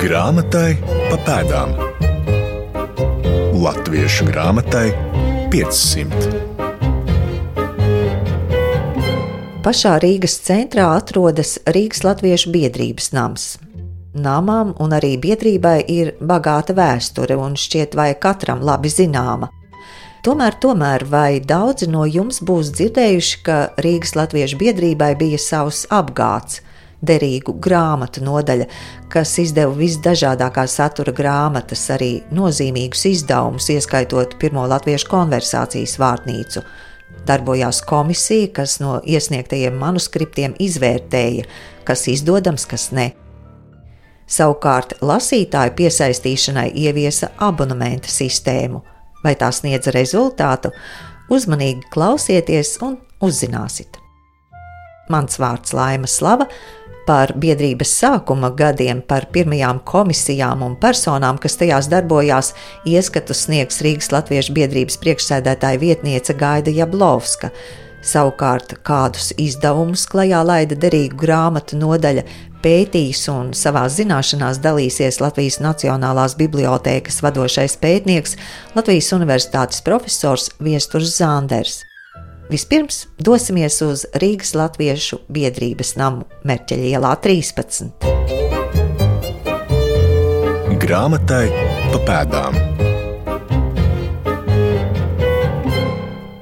Grāmatai pa pēdām. Latviešu grāmatai 500. Pašā Rīgas centrā atrodas Rīgas Latviešu biedrības nams. Namam un arī biedrībai ir bagāta vēsture un šķiet vai katram labi zināma. Tomēr vai daudzi no jums būs dzirdējuši, ka Rīgas Latviešu biedrībai bija savs apgāds, derīgu grāmatu nodaļa, kas izdeva visdažādākā satura grāmatas, arī nozīmīgus izdevumus, ieskaitot pirmo latviešu konversācijas vārtnīcu. Darbojās komisija, kas no iesniegtajiem manuskriptiem izvērtēja, kas izdodams, kas ne. Savukārt lasītāju piesaistīšanai ieviesa abonementa sistēmu. Vai tā sniedz rezultātu? Uzmanīgi klausieties un uzzināsiet. Mans vārds Laima Slava. Par biedrības sākuma gadiem, par pirmajām komisijām un personām, kas tajās darbojās, ieskatu sniegs Rīgas Latviešu biedrības priekšsēdētāja vietniece Gaida Jablovska. Savukārt, kādus izdevumus klajā laida derīgu grāmatu nodaļa, pētīs un savās zināšanās dalīsies Latvijas Nacionālās bibliotēkas vadošais pētnieks, Latvijas Universitātes profesors Viesturs Zanders. Vispirms dosimies uz Rīgas Latviešu biedrības namu Merķeļa ielā 13. Grāmatai pa pēdām.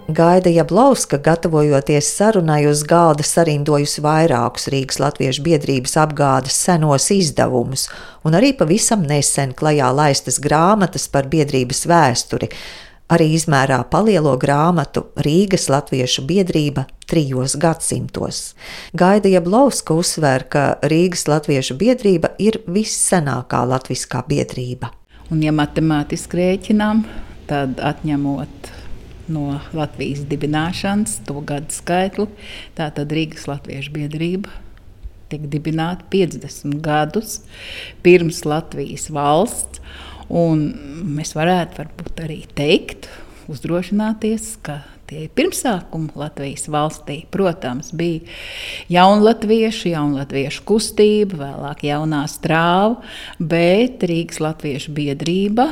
Gaida Jablovska, gatavojoties sarunai uz galda, sarindojusi vairākus Rīgas Latviešu biedrības apgādes senos izdevumus un arī pavisam nesen klajā laistas grāmatas par biedrības vēsturi. Arī izmērā palielo grāmatu Rīgas Latviešu biedrība 3 gadsimtos. Gaida Jablovska uzsver, ka Rīgas Latviešu biedrība ir vissenākā latviskā biedrība. Un ja matemātiski rēķinām, tad atņemot no Latvijas dibināšanas to gadu skaitli, tātad Rīgas Latviešu biedrība tiek dibināta 50 gadus pirms Latvijas valsts. Un mēs varētu varbūt arī teikt, uzdrošināties, ka tie pirmsākumi Latvijas valstī, protams, bija jaunlatviešu kustība, vēlāk jaunā strāva, bet Rīgas Latviešu biedrība,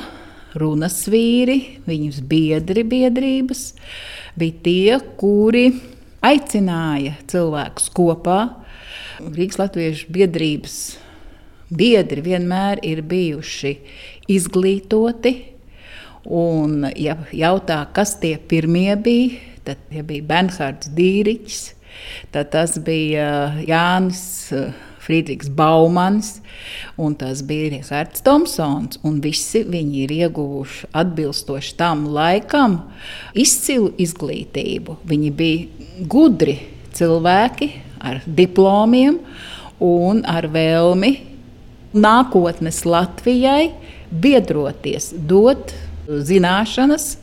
runas vīri, viņus biedri biedrības, bija tie, kuri aicināja cilvēkus kopā. Rīgas Latviešu biedrības biedri vienmēr ir bijuši izglītoti, un ja jautā, kas tie pirmie bija, tad ja bija Bernhards Dīriķis, tad tas bija Jānis Friedrichs Baumans, un tas bija Rihards Tomsons, un visi viņi ir ieguvuši atbilstoši tam laikam izcilu izglītību. Viņi bija gudri cilvēki ar diplomiem un ar vēlmi nākotnes Latvijai biedroties, dot zināšanas,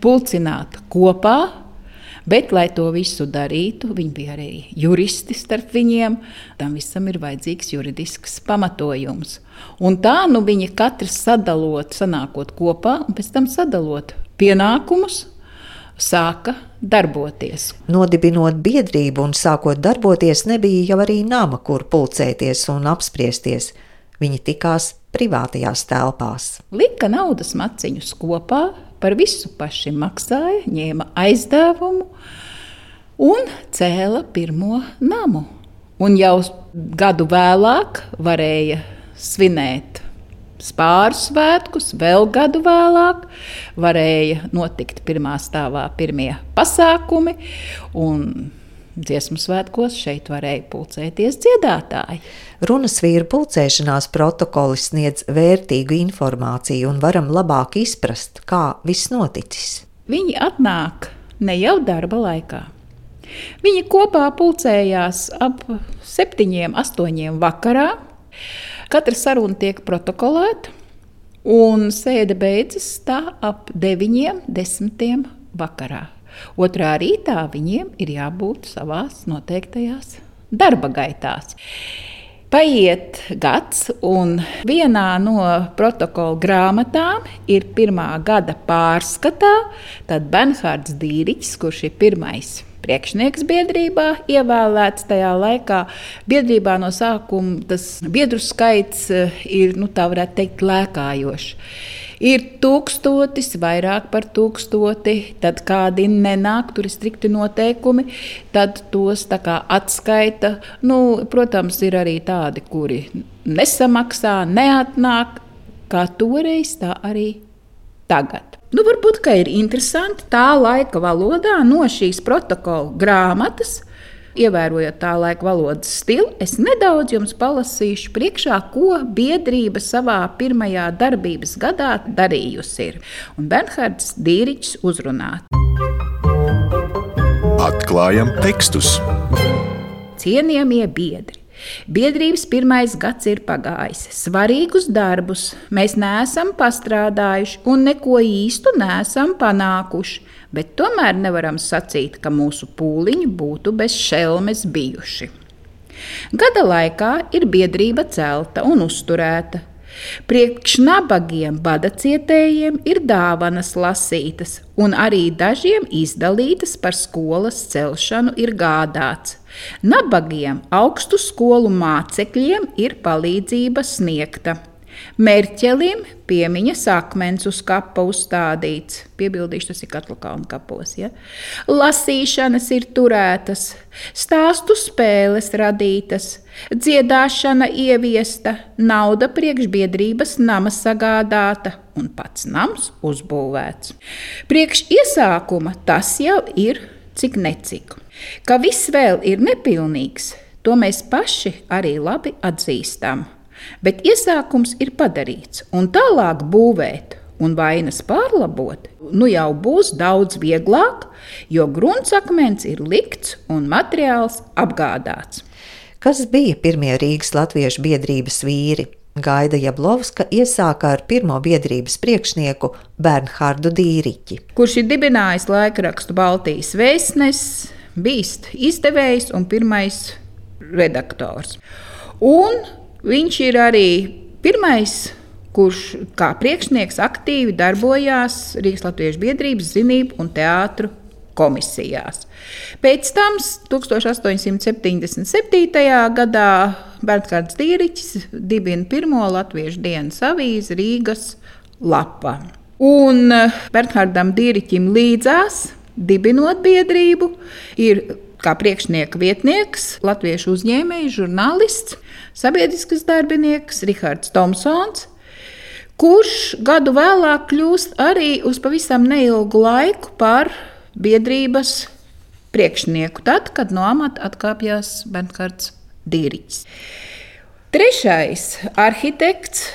pulcināt kopā, bet, lai to visu darītu, viņi bija arī juristi starp viņiem, tam visam ir vajadzīgs juridisks pamatojums. Un tā viņi katrs sadalot, sanākot kopā, un pēc tam sadalot pienākumus, sāka darboties. Nodibinot biedrību un sākot darboties, nebija jau arī nama, kur pulcēties un apspriesties. Viņi tikās privātajās telpās. Lika naudas maciņus kopā, par visu paši maksāja, ņēma aizdevumu un cēla pirmo namu. Un jau gadu vēlāk varēja svinēt Spāru svētkus, vēl gadu vēlāk varēja notikt pirmā stāvā pirmie pasākumi, un dziesmu svētkos šeit varēja pulcēties dziedātāji. Runas vīru pulcēšanās protokoli sniedz vērtīgu informāciju un varam labāk izprast, kā viss noticis. Viņi atnāk ne jau darba laikā. Viņi kopā pulcējās ap 7, 8 vakarā. Katra saruna tiek protokolēta, un sēde beidzas tā ap 9, 10 vakarā. Otrā rītā viņiem ir jābūt savās noteiktajās darba gaitās. Paiet gads, un vienā no protokola grāmatām ir pirmā gada pārskatā, tad Bernhards Dīriķis, kurš ir pirmais priekšnieks biedrībā, ievēlēts tajā laikā. Biedrībā no sākuma tas biedru skaits ir, tā varētu teikt, lēkājošs. Ir 1000, vairāk par 1000, tad kādi nenāk, tur ir strikti noteikumi, tad tos tā kā atskaita. Protams, ir arī tādi, kuri nesamaksā, neatnāk, kā toreiz, tā arī tagad. Varbūt, ka ir interesanti tā laika valodā no šīs protokola grāmatas, ievērojot tā laika valodas stilu, es nedaudz jums palasīšu priekšā, ko biedrība savā pirmajā darbības gadā darījusi ir. Un Bernhards Dīriķis uzrunā. Atklājam tekstus. Cienījamie biedri! Biedrības 1. gads ir pagājis. Svarīgus darbus mēs neesam pastrādājuši un neko īstu neesam panākuši, bet tomēr nevaram sacīt, ka mūsu pūliņi būtu bez šelmes bijuši. Gada laikā ir biedrība celta un uzturēta. Priekš nabagiem badacietējiem ir dāvanas lasītas, un arī dažiem izdalītas par skolas celšanu ir gādāts. Nabagiem augstu skolu mācekļiem ir palīdzība sniegta. Mērķelim piemiņas akmens uz kapa uzstādīts. Piebildīšu, tas ir Katlakalna kapos. Ja? Lasīšanas ir turētas, stāstu spēles radītas, dziedāšana ieviesta, nauda priekšbiedrības nama sagādāta un pats nams uzbūvēts. Priekš iesākuma tas jau ir cik necik. Ka viss vēl ir nepilnīgs, to mēs paši arī labi atzīstam. Bet iesākums ir padarīts, un tālāk būvēt un vainas pārlabot, jau būs daudz vieglāk, jo gruntsakmens ir likts un materiāls apgādāts. Kas bija pirmie Rīgas latviešu biedrības vīri? Gaida Jablovska iesāka ar pirmo biedrības priekšnieku Bernhardu Dīriķi, kurš ir dibinājis laikrakstu Baltijas vēstnesis, bijis izdevējs un pirmais redaktors. Un viņš ir arī pirmais, kurš kā priekšnieks aktīvi darbojās Rīgas latviešu biedrības zinību un teātru komisijās. Pēc tam 1877. gadā Bernhards Dīriķis dibina pirmo latviešu dienas avīzi Rīgas lapā. Un Bernhardam Dīriķim līdzās, dibinot biedrību, ir kā priekšnieka vietnieks, latviešu uzņēmējs, žurnālists, sabiedriskas darbinieks Rihards Tomsons, kurš gadu vēlāk kļūst arī uz pavisam neilgu laiku par biedrības priekšnieku, tad, kad no amata atkāpjās Bernhards Dīriķis. Trešais arhitekts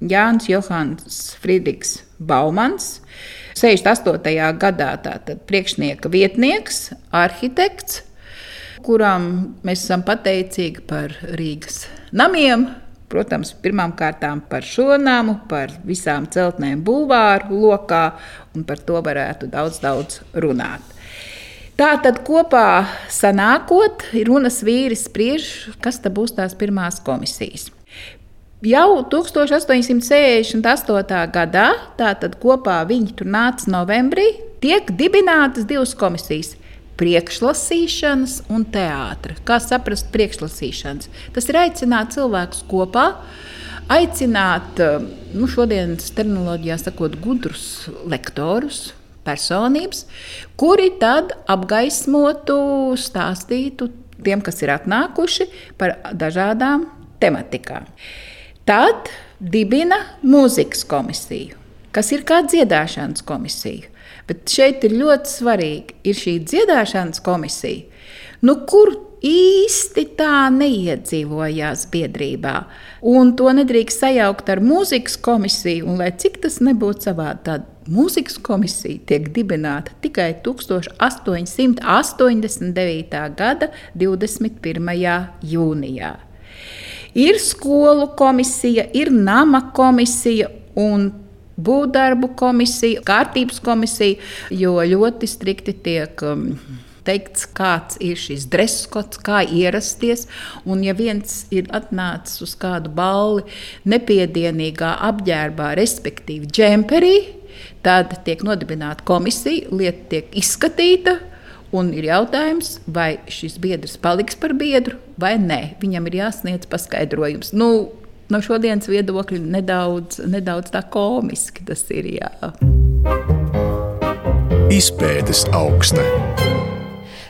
Jānis Johans Friedrichs Baumans, 68. gadā tātad priekšnieka vietnieks, arhitekts, kuram mēs esam pateicīgi par Rīgas namiem, protams, pirmām kārtām par šo namu, par visām celtnēm bulvāru lokā, un par to varētu daudz runāt. Tātad kopā sanākot, runas vīris spriež, kas tad būs tās pirmās komisijas. Jau 1868. gadā, tātad kopā viņi tur nāca novembrī, tiek dibinātas divas komisijas – priekšlasīšanas un teātra. Kā saprast priekšlasīšanas? Tas ir aicināt cilvēkus kopā, aicināt, šodienas terminoloģijā sakot, gudrus lektorus, personības, kuri tad apgaismotu, stāstītu tiem, kas ir atnākuši par dažādām tematikām. Tad dibina mūzikas komisiju, kas ir kā dziedāšanas komisija. Bet šeit ir ļoti svarīgi, ir šī dziedāšanas komisija, kur īsti tā neiedzīvojās biedrībā. Un to nedrīkst sajaukt ar mūzikas komisiju, un lai cik tas nebūtu savādi, tad mūzikas komisija tiek dibināta tikai 1889. gada 21. jūnijā. Ir skolu komisija, ir nama komisija un būvdarbu komisija, kārtības komisija, jo ļoti strikti tiek teikts, kāds ir šis dreskots, kā ierasties. Un ja viens ir atnācis uz kādu balli nepiedienīgā apģērbā, respektīvi džemperī, tad tiek nodibināta komisija, lieta tiek izskatīta Un ir jautājums, vai šis biedrs paliks par biedru vai nē. Viņam ir jāsniedz paskaidrojums. No šodienas viedokļa nedaudz tā komiski tas ir. Jā. Izpētes augsta.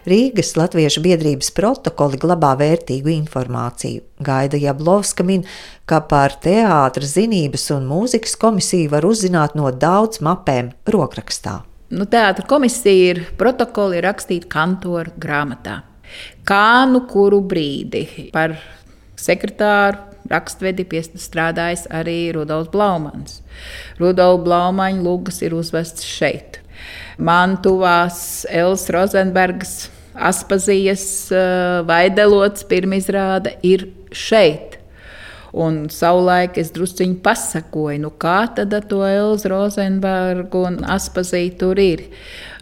Rīgas Latviešu biedrības protokoli glabā vērtīgu informāciju. Gaida Jablovska min, ka par teātra, zinības un mūzikas komisiju var uzzināt no daudz mapēm rokrakstā. Teātra komisija protokoli ir rakstīti kantora grāmatā. Kā kuru brīdi par sekretāru rakstvedi strādājis arī Rudolfs Blaumans. Rudolfa Blaumaņa lugas ir uzvests šeit. Man tuvās Elas Rozenbergas Aspazijas Vaidelots pirmizrāde ir šeit. Un savulaik es drusciņi pasakoju, kā tad to Elzu Rozenbergu un Aspaziju tur ir.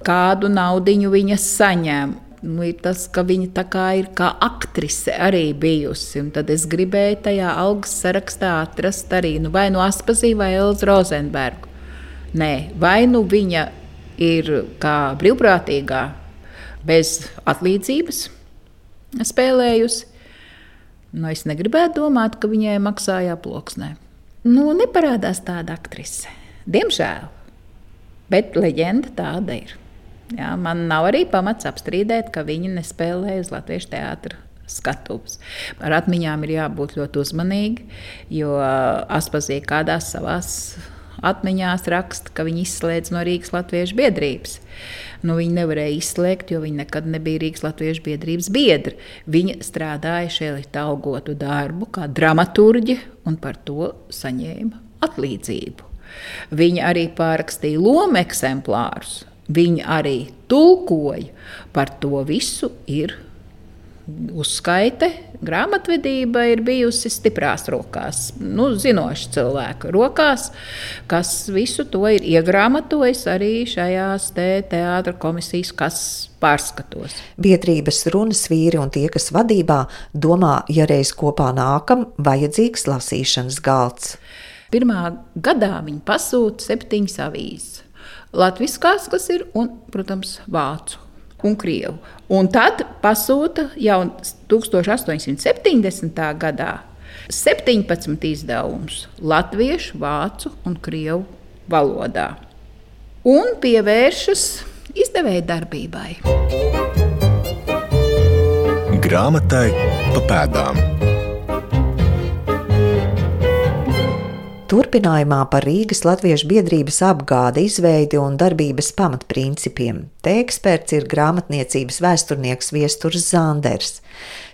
Kādu naudiņu viņa saņem. Ir tas, ka viņa tā kā ir kā aktrise arī bijusi. Un tad es gribēju tajā algas sarakstā atrast arī vai Aspaziju vai Elzu Rozenbergu. Nē, vai viņa ir kā brīvprātīgā bez atlīdzības spēlējusi. Es negribētu domāt, ka viņai maksāja aploksnē. Neparādās tāda aktrise. Diemžēl. Bet leģenda tāda ir. Jā, man nav arī pamats apstrīdēt, ka viņa nespēlēja uz Latviešu teātra skatuves. Ar atmiņām ir jābūt ļoti uzmanīgi, jo Aspazija kādās savās atmiņās raksta, ka viņi izslēdz no Rīgas Latviešu biedrības. Viņi nevarēja izslēgt, jo viņi nekad nebija Rīgas Latviešu biedrības biedri. Viņa strādāja šeit algotu darbu kā dramaturģe un par to saņēma atlīdzību. Viņa arī pārrakstīja lomu eksemplārus. Viņa arī tulkoja. Par to visu ir uzskaite. Grāmatvedība ir bijusi stiprās rokās, zinoši cilvēku rokās, kas visu to ir iegrāmatojis arī šajās teātra komisijas pārskatos. Biedrības runas vīri un tie, kas vadībā, domā, ja reiz kopā nākam, vajadzīgs lasīšanas galds. Pirmā gadā viņi pasūta 7 avīzes. Latviskās, kas ir, un, protams, vācu un krievu. Un tad pasūta jau 1870. gadā 17 izdevumus latviešu, vācu un krievu valodā. Un pievēršas izdevēja darbībai. Grāmatai pa pēdām. Turpinājumā par Rīgas Latviešu biedrības apgādi, izveidi un darbības pamatprincipiem. Te eksperts ir grāmatniecības vēsturnieks Viesturs Zanders.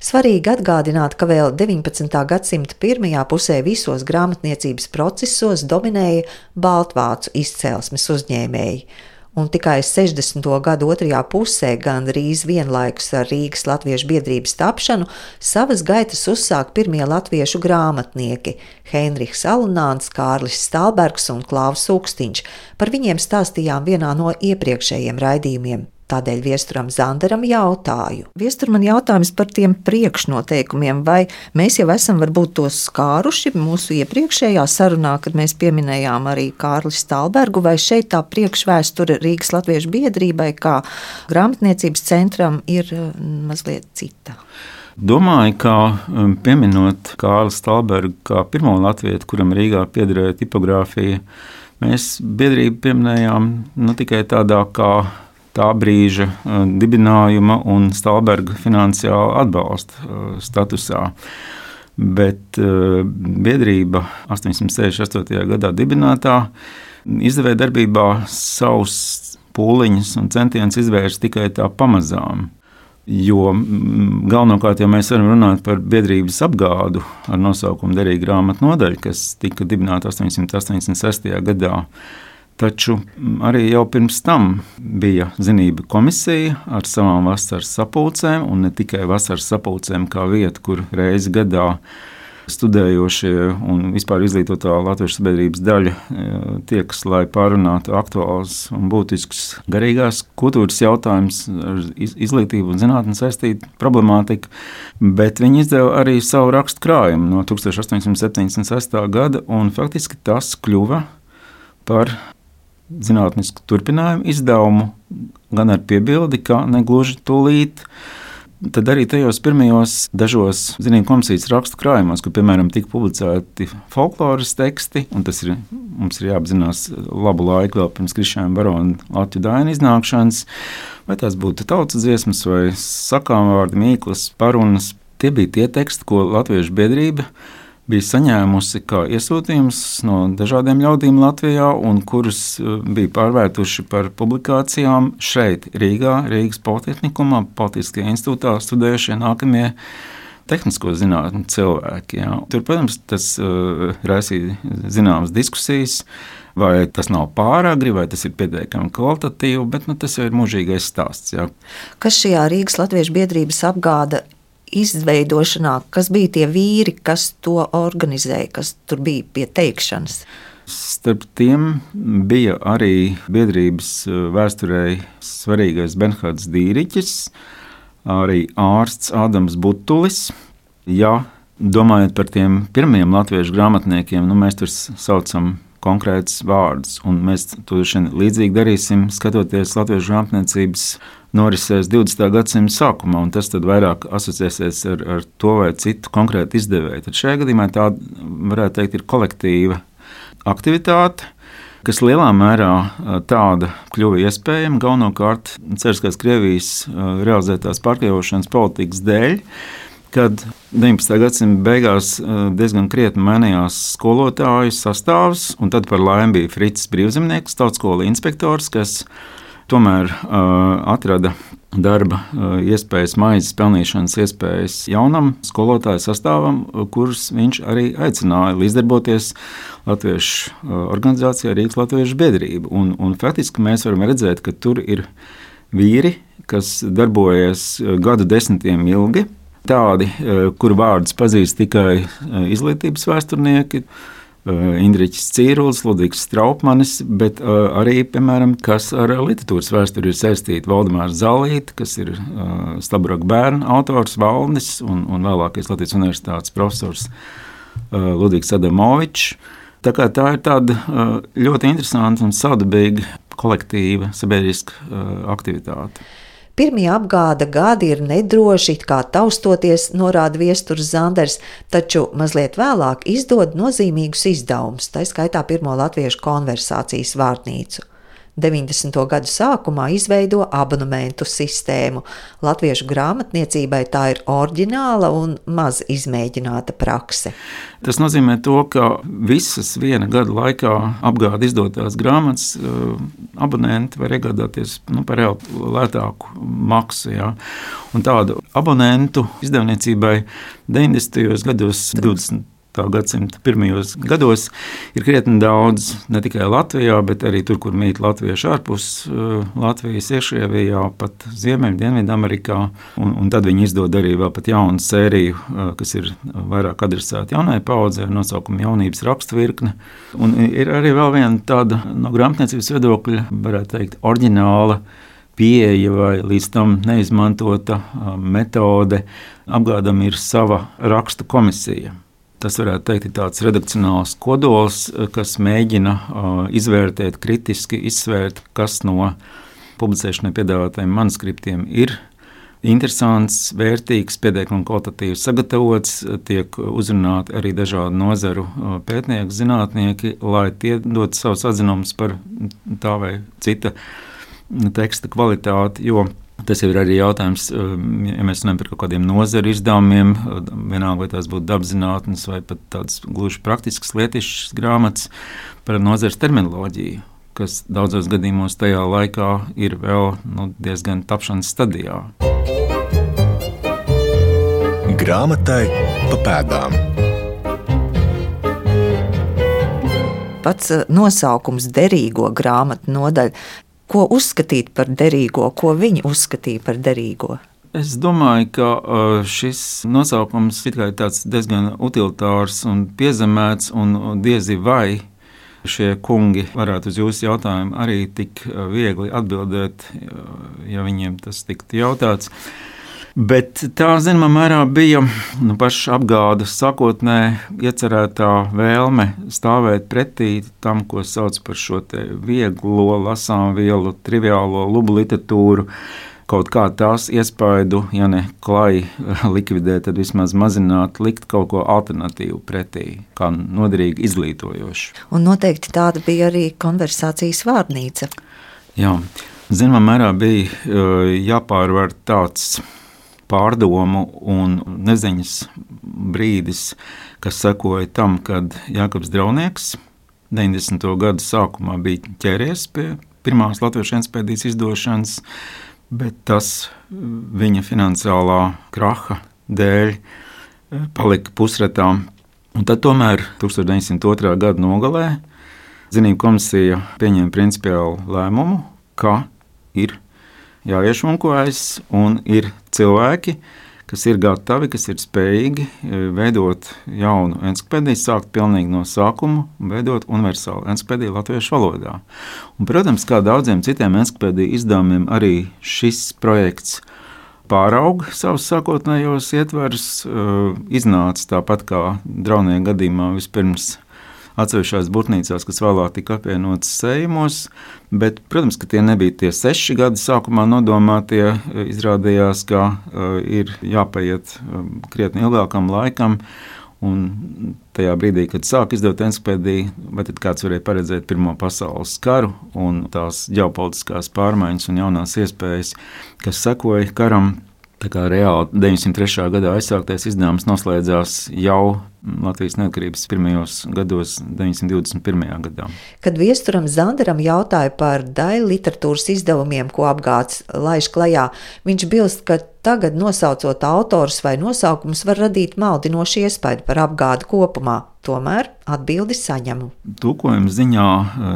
Svarīgi atgādināt, ka vēl 19. gadsimta pirmajā pusē visos grāmatniecības procesos dominēja baltvācu izcelsmes uzņēmēji. Un tikai 60. gadu otrajā pusē, gandrīz vienlaikus ar Rīgas Latviešu biedrības tapšanu, savas gaitas uzsāk pirmie latviešu grāmatnieki – Heinrichs Alunāns, Kārlis Stalbergs un Klaus Ukstiņš. Par viņiem stāstījām vienā no iepriekšējiem raidījumiem. Tādēļ Viesturam Zanderam jautāju. Viestur, man jautājums par tiem priekšnoteikumiem, vai mēs jau esam varbūt tos skāruši mūsu iepriekšējā sarunā, kad mēs pieminējām arī Kārli Stalbergu, vai šeit tā priekšvēsture Rīgas Latviešu biedrībai kā grāmatniecības centram ir mazliet cita? Domāju, ka pieminot Kārli Stalbergu kā pirmo latvietu, kuram Rīgā piederēja tipogrāfija, mēs biedrību pieminējām tikai tādā kā tā brīža dibinājuma un Stalberga finansiāla atbalsta statusā. Bet biedrība 868. gadā dibinātā izdevēja darbībā savus pūliņus un centienus izvērst tikai tā pamazām. Jo galvenokārt, ja mēs varam runāt par biedrības apgādu ar nosaukumu Derīga grāmatu nodaļa, kas tika dibināta 886. gadā, taču arī jau pirms tam bija zinība komisija ar savām vasaras sapulcēm, un ne tikai vasaras sapulcēm kā vieta, kur reizi gadā studējošie un vispār izglītotā latviešu sabiedrības daļa tiekas, lai pārunātu aktuāls un būtisks garīgās kultūras jautājums ar izglītību un zinātni saistītu problemātiku, bet viņi izdeva arī savu rakstu krājumu no 1876. gada, un faktiski tas kļuva par zinātnisku turpinājumu izdevumu, gan ar piebildi, ka negluži tūlīt. Tad arī tajos pirmajos dažos zinību komisijas rakstu krājumos, kur, piemēram, tika publicēti folkloras teksti, un tas mums ir jāapzinās labu laiku vēl pirms Krišjāna Barona Latviju Daina iznākšanas, vai tās būtu tautas dziesmas vai sakāmvārdi, mīklas, parunas. Tie bija tie teksti, ko Latviešu biedrība bija saņēmusi kā iesūtījums no dažādiem ļaudīm Latvijā, un kurus bija pārvērtuši par publikācijām šeit, Rīgā, Rīgas Politehnikumā, Politiskajā institūtā studējušie nākamie tehnisko zinātņu cilvēki. Jā. Tur, protams, tas raisīja zināmas diskusijas, vai tas nav pāragri, vai tas ir pietiekami kvalitatīvi, bet tas jau ir mūžīgais stāsts. Jā. Kas šajā Rīgas Latviešu biedrības apgāda izveidošanā, kas bija tie vīri, kas to organizēja, kas tur bija pie teikšanas? Starp tiem bija arī biedrības vēsturei svarīgais Bernhards Dīriķis, arī ārsts Ādams Butulis. Ja domājot par tiem pirmiem latviešu grāmatniekiem, mēs tur saucam konkrētus vārdus, un mēs to līdzīgi darīsim, skatoties latviešu grāmatniecības norisēs 20. gadsimta sākumā, un tas tad vairāk asociēsies ar to vai citu konkrētu izdevēju. Tad šajā gadījumā tā, varētu teikt, ir kolektīva aktivitāte, kas lielā mērā tāda kļuva iespējama galvenokārt Cariskās Krievijas realizētās pārkļaušanas politikas dēļ, kad 19. gadsimta beigās diezgan krietni mainījās skolotāju sastāvs, un tad par laimi bija Fricis Brīvzemnieks, tautskola inspektors, kas tomēr atrada darba iespējas, maizes pelnīšanas iespējas jaunam skolotāju sastāvam, kurus viņš arī aicināja līdzdarboties Latviešu organizācijā Rīgas Latviešu biedrība. Un faktiski mēs varam redzēt, ka tur ir vīri, kas darbojas gadu desmitiem ilgi, tādi, kuru vārdus pazīst tikai izglītības vēsturnieki, Indriķis Cīrulis, Ludvigs Straupmanis, bet arī, piemēram, kas ar literatūras vēsturi ir saistīti, Valdemārs Zalīte, kas ir Staburoka bērnu autors, Valdnis un vēlākais Latvijas universitātes profesors Ludvigs Adamovičs. Tā ir tāda ļoti interesanta un sadabīga kolektīva sabiedriska aktivitāte. Pirmie apgāda gadi ir nedroši, kā taustoties, norāda Viesturs Zanders, taču mazliet vēlāk izdod nozīmīgus izdevumus, tā skaitā pirmo latviešu konversācijas vārnīcu. 90. gadu sākumā izveido abonementu sistēmu. Latviešu grāmatniecībai tā ir oriģināla un maz izmēģināta prakse. Tas nozīmē to, ka visas viena gada laikā apgāda izdotās grāmatas abonenti var iegādāties par reāli lētāku maksu. Jā. Un tādu abonentu izdevniecībai 90. gados, 20. gadsimta pirmajos gados ir krietni daudz, ne tikai Latvijā, bet arī tur, kur mīt latvieši ārpus Latvijas, Iekšrievijā, pat Ziemeļ, Dienvidamerikā. Un tad viņi izdod arī vēl pat jaunu sēriju, kas ir vairāk adresēta jaunai paudzei ar nosaukumu Jaunības rakstvirkne. Un ir arī vēl viena tāda no grāmatniecības viedokļa, varētu teikt, oriģināla pieeja vai līdz tam neizmantota metode. Apgādam ir sava rakstu komisija. Tas varētu teikt, ir tāds redakcionāls kodols, kas mēģina izvērtēt, kritiski izsvērt, kas no publicēšanai piedāvātajiem manuskriptiem ir interesants, vērtīgs, pietiekami kvalitatīvi sagatavots, tiek uzrunāti arī dažādu nozaru pētnieki, zinātnieki, lai tie dod savus atzinumus par tā vai cita teksta kvalitāti, jo tas jau ir arī jautājums, ja mēs runājam par kaut kādiem nozaru izdevumiem, vienalga vai tās būtu dabzinātnes vai pat tādas gluži praktiskas lietišķas grāmatas par nozares terminoloģiju, kas daudzos gadījumos tajā laikā ir vēl diezgan tapšanas stadijā. Grāmatai pa pēdām. Pats nosaukums derīgo grāmatu nodaļa. Ko uzskatīt par derīgo, ko viņi uzskatīja par derīgo? Es domāju, ka šis nosaukums ir tāds diezgan utilitārs un piezemēts, un diezi vai šie kungi varētu uz jūsu jautājumu arī tik viegli atbildēt, ja viņiem tas tiktu jautāts. Bet tā, zināmā mērā, bija paša apgādes sākotnē iecerētā vēlme stāvēt pretī tam, ko sauc par šo vieglo lasāmvielu, triviālo lubu literatūru, kaut kā tās iespaidu, ja ne klai likvidēt, tad vismaz mazināt, likt kaut ko alternatīvu pretī, kā noderīgi izglītojošu. Un noteikti tāda bija arī konversācijas vārnīca. Jā, zināmā mērā bija jāpārvar tāds pārdomu un neziņas brīdis, kas sekoja tam, kad Jākabs Draunieks 90. gadu sākumā bija ķēries pie pirmās latviešu encyklopēdijas izdošanas, bet tas viņa finansiālā kraha dēļ palika pusretā. Un tad tomēr 1902. gada nogalē Zinību komisija pieņēma principiālu lēmumu, ka ir jāiešunkojas un ir cilvēki, kas ir gatavi, kas ir spējīgi veidot jaunu encyklopēdiju, sākt pilnīgi no sākuma un veidot universālu encyklopēdiju latviešu valodā. Un, protams, kā daudziem citiem encyklopēdiju izdevumiem, arī šis projekts pārauga savus sākotnējos ietverus, iznāca tāpat kā Draunieka gadījumā vispirms atsevišķās burtnīcās, kas vēlāk tika apvienotas sējumos, bet, protams, ka tie nebija tie 6 gadi sākumā nodomātie, izrādījās, ka ir jāpaiet krietni ilgākam laikam, un tajā brīdī, kad sāk izdot encyklopēdiju, vai tad kāds varēja paredzēt Pirmo pasaules karu un tās ģeopolitiskās pārmaiņas un jaunās iespējas, kas sekoja karam. Tā kā reāli 903. gadā aizsāktais izdevums noslēdzās jau Latvijas neatkarības pirmajos gados, 921. gadā. Kad Viesturam Zanderam jautāja par daļu literatūras izdevumiem, ko apgāds laiž klajā, viņš bilst, ka tagad nosaucot autorus vai nosaukumus var radīt maldinošu iespaidu par apgādi kopumā. Tomēr atbildi saņemu. Tulkojuma ziņā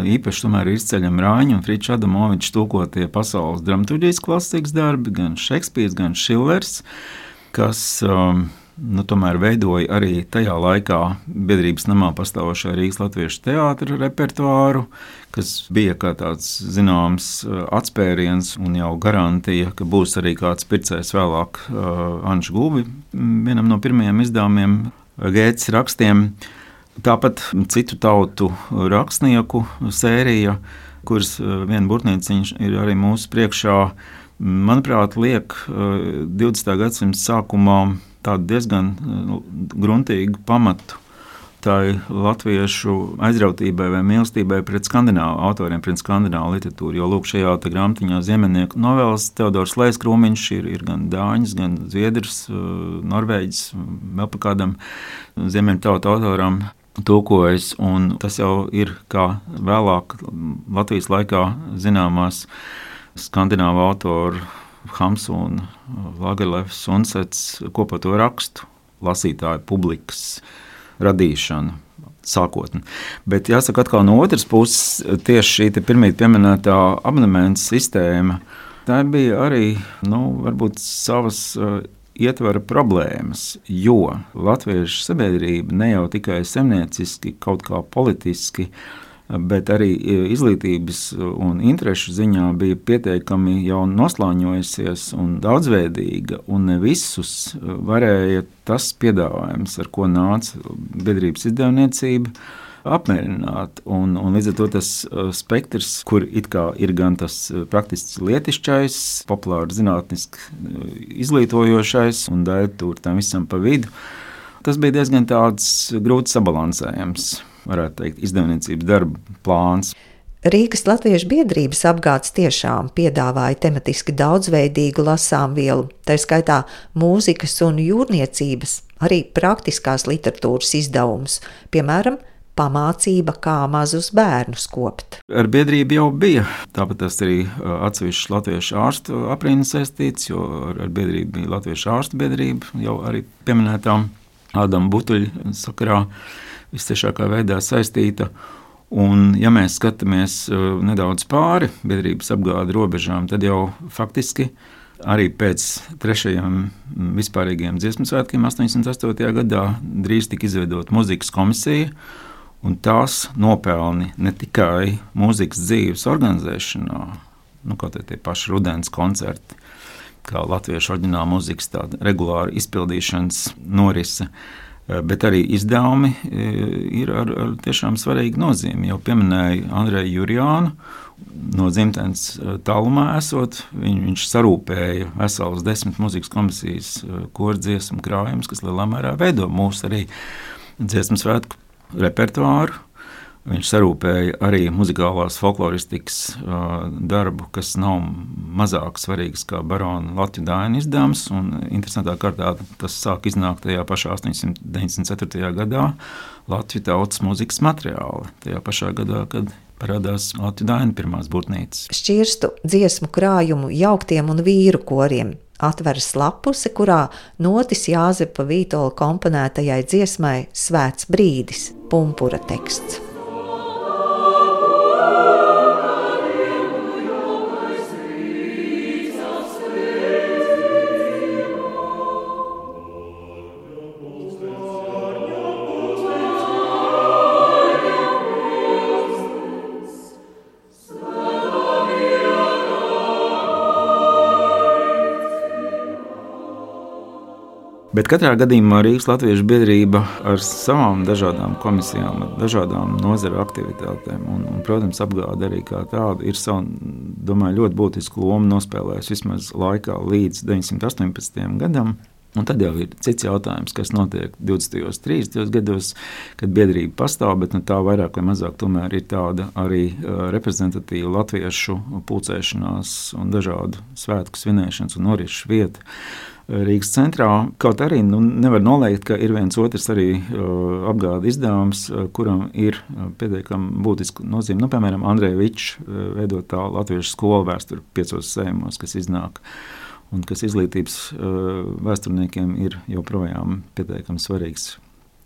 īpaši tomēr ir izceļami Rāņa un Friča Adamoviča tulkotie pasaules dramaturģijas klasikas darbi, gan Šekspīrs, gan Šillers, kas tomēr veidoja arī tajā laikā biedrības namā pastāvošā Rīgas latviešu teātra repertuāru, kas bija kā tāds zināms atspēriens un jau garantija, ka būs arī kāds pircējs vēlāk Anša Gulbi, vienam no pirmajiem izdevumiem Gētes rakstiem. Tāpat citu tautu rakstnieku sērija, kuras viena burtnīciņa ir arī mūsu priekšā, manuprāt, liek 20. gadsimta sākumā tādu diezgan gruntīgu pamatu tai latviešu aizrautībai vai mīlestībai pret skandināvu autoriem, pret skandināvu literatūru. Jo lūk, šajā grāmatiņā Ziemeļnieku novēles Teodors Lejs-Krūmiņš ir gan dāņas, gan zviedrs, norvēģis, vēl pa kādam ziemeļu tautu autoram tulkojas, un tas jau ir kā vēlāk Latvijas laikā zināmās skandināvu autoru Hamsuna, Lagerlefs, Unsets kopoto rakstu lasītāju publikas radīšana sākotnē. Bet jāsaka atkal no otras puses, tieši šī pirmīt pieminētā abonementa sistēma, tā bija arī, varbūt savas ietvara problēmas, jo latviešu sabiedrība ne jau tikai saimnieciski, kaut kā politiski, bet arī izglītības un interešu ziņā bija pietiekami jau noslāņojusies un daudzveidīga, un ne visus varēja tas piedāvājums, ar ko nāca biedrības izdevniecība, apmierināt. Un līdz ar to tas spektrs, kur it kā ir gan tas praktiski lietišķais, populāri zinātniski izglītojošais un daļa tur tam visam pa vidu, tas bija diezgan tāds grūti sabalansējams, varētu teikt, izdevniecības darba plāns. Rīgas Latviešu biedrības apgāds tiešām piedāvāja tematiski daudzveidīgu lasāmvielu, tā skaitā mūzikas un jūrniecības, arī praktiskās literatūras izdevumus, piemēram, pamācība, kā mazus bērnus kopt. Ar biedrību jau bija, tāpat tas arī atsevišķi latviešu ārstu aprīnas saistīts, jo ar biedrību bija latviešu ārstu biedrība, jau arī pieminētām Ādama Butuļa sakarā visciešākā veidā saistīta. Un, ja mēs skatāmies nedaudz pāri biedrības apgāde robežām, tad jau faktiski arī pēc 3. vispārīgajiem dziesmu svētkiem 88. gadā drīz tika izveidota mūzikas komisija, un tās nopelni ne tikai mūzikas dzīves organizēšanā, kaut tie paši rudens koncerti, kā latviešu oriģināla mūzikas tāda regulāra izpildīšanas norise. Bet arī izdevumi ir ar tiešām svarīgu nozīmi. Jau pieminēju Andreju Jurjānu, no dzimtenes tālumā esot. Viņš sarūpēja veselas 10 mūzikas komisijas kordziesmu krājumus, kas lielā mērā veido mūsu arī dziesmu svētku repertuāru. Viņš sarūpēja arī muzikālās folkloristikas darbu, kas nav mazāk svarīgs kā Barona Latviju Dainu izdevums. Interesantā kārtā tas sāk iznākt tajā pašā 894. gadā Latviju tautas mūzikas materiāli. Tajā pašā gadā, kad parādās Latviju Dainu pirmās būtnīcas. Šķirstu dziesmu krājumu jauktiem un vīru koriem atveras lapuse, kurā notis Jāzepa Vītola komponētajai dziesmai Svēts brīdis, pumpura teksts. Bet katrā gadījumā Rīgas Latviešu biedrība ar savām dažādām komisijām, ar dažādām nozaru aktivitātēm un, protams, apgāde arī kā tāda ir savu, domāju, ļoti būtisku lomu nospēlējusi vismaz laikā līdz 918. gadam. Un tad jau ir cits jautājums, kas notiek 20. 30. gados, kad biedrība pastāv, bet tā vairāk vai mazāk tomēr ir tāda arī reprezentatīva latviešu pulcēšanās un dažādu svētku svinēšanas un norišu vieta Rīgas centrā. Kaut arī nevar noliegt, ka ir viens otrs arī apgāde izdevums, kuram ir pietiekami būtiska nozīme. Piemēram, Andreja Viča veidotā latviešu skola vēsturi 5 sējumos, kas iznāk un kas izglītības vēsturniekiem ir joprojām pietiekami svarīgs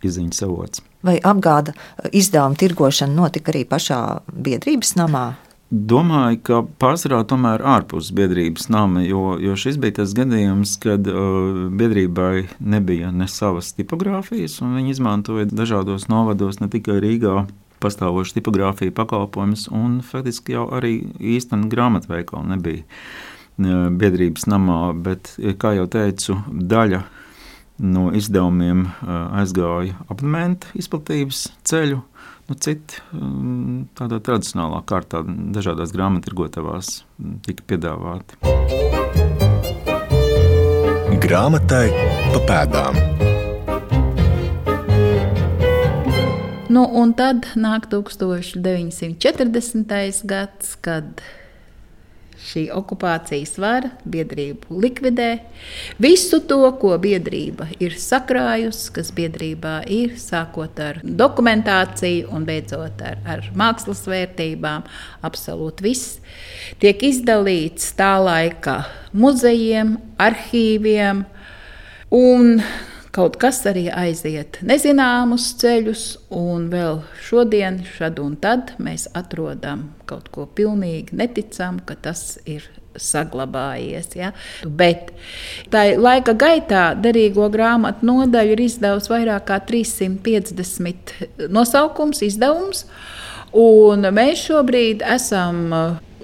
izziņas avots. Vai apgāda izdevuma tirgošana notika arī pašā biedrības namā? Domāju, ka pārsvarā tomēr ārpus biedrības nama, jo šis bija tas gadījums, kad biedrībai nebija ne savas tipogrāfijas, un viņi izmantoja dažādos novados, ne tikai Rīgā pastāvošu tipogrāfiju pakalpojumus, un faktiski jau arī īsteni grāmatveikali nebija biedrības namā, bet, kā jau teicu, daļa no izdevumiem aizgāja abonentu izplatības ceļu, citi tādā tradicionālā kārtā dažādās grāmattirgotavās tika piedāvāti. Grāmatai pa pēdām. Un tad nāk 1940. gads, kad šī okupācijas vara biedrību likvidē. Visu to, ko biedrība ir sakrājusi, kas biedrībā ir, sākot ar dokumentāciju un beidzot ar mākslas vērtībām, absolūti viss, tiek izdalīts tā laika muzejiem, arhīviem, un kaut kas arī aiziet nezināmus ceļus, un vēl šodien, šad un tad mēs atrodam kaut ko pilnīgi neticam, ka tas ir saglabājies. Ja? Bet tā laika gaitā derīgo grāmatu nodaļa ir izdevusi vairāk kā 350 nosaukums, izdevums, un mēs šobrīd esam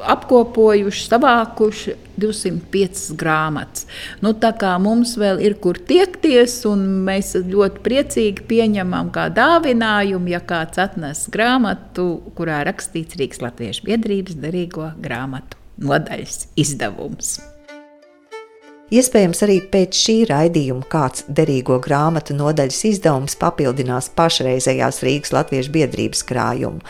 apkopojuši, savākuši 205 grāmatas. Tā kā mums vēl ir kur tiekties, un mēs ļoti priecīgi pieņemam kā dāvinājumu, ja kāds atnes grāmatu, kurā rakstīts Rīgas Latviešu biedrības derīgo grāmatu nodaļas izdevums. Iespējams, arī pēc šī raidījuma kāds derīgo grāmatu nodaļas izdevums papildinās pašreizējās Rīgas Latviešu biedrības krājumu.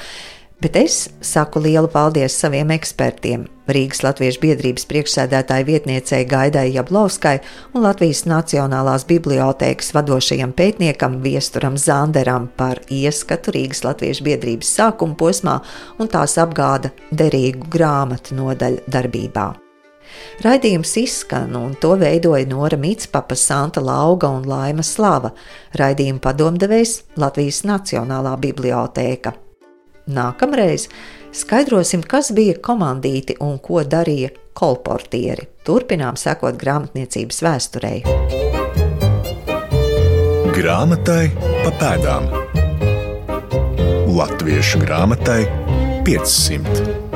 Bet es saku lielu paldies saviem ekspertiem, Rīgas Latviešu biedrības priekšsēdētāja vietniecei Gaidai Jablovskai un Latvijas Nacionālās bibliotēkas vadošajam pētniekam Viesturam Zanderam par ieskatu Rīgas Latviešu biedrības sākuma posmā un tās apgāda derīgu grāmatu nodaļu darbībā. Raidījums izskan, un to veidoja Nora Mitspapa, Santa Lauga un Laima Slava. Raidījuma padomdevējs Latvijas Nacionālā bibliotēka. Nākamreiz skaidrosim, kas bija komandīti un ko darīja kolportieri. Turpinām sekot grāmatniecības vēsturei. Grāmatai pa pēdām. Latviešu grāmatai 500.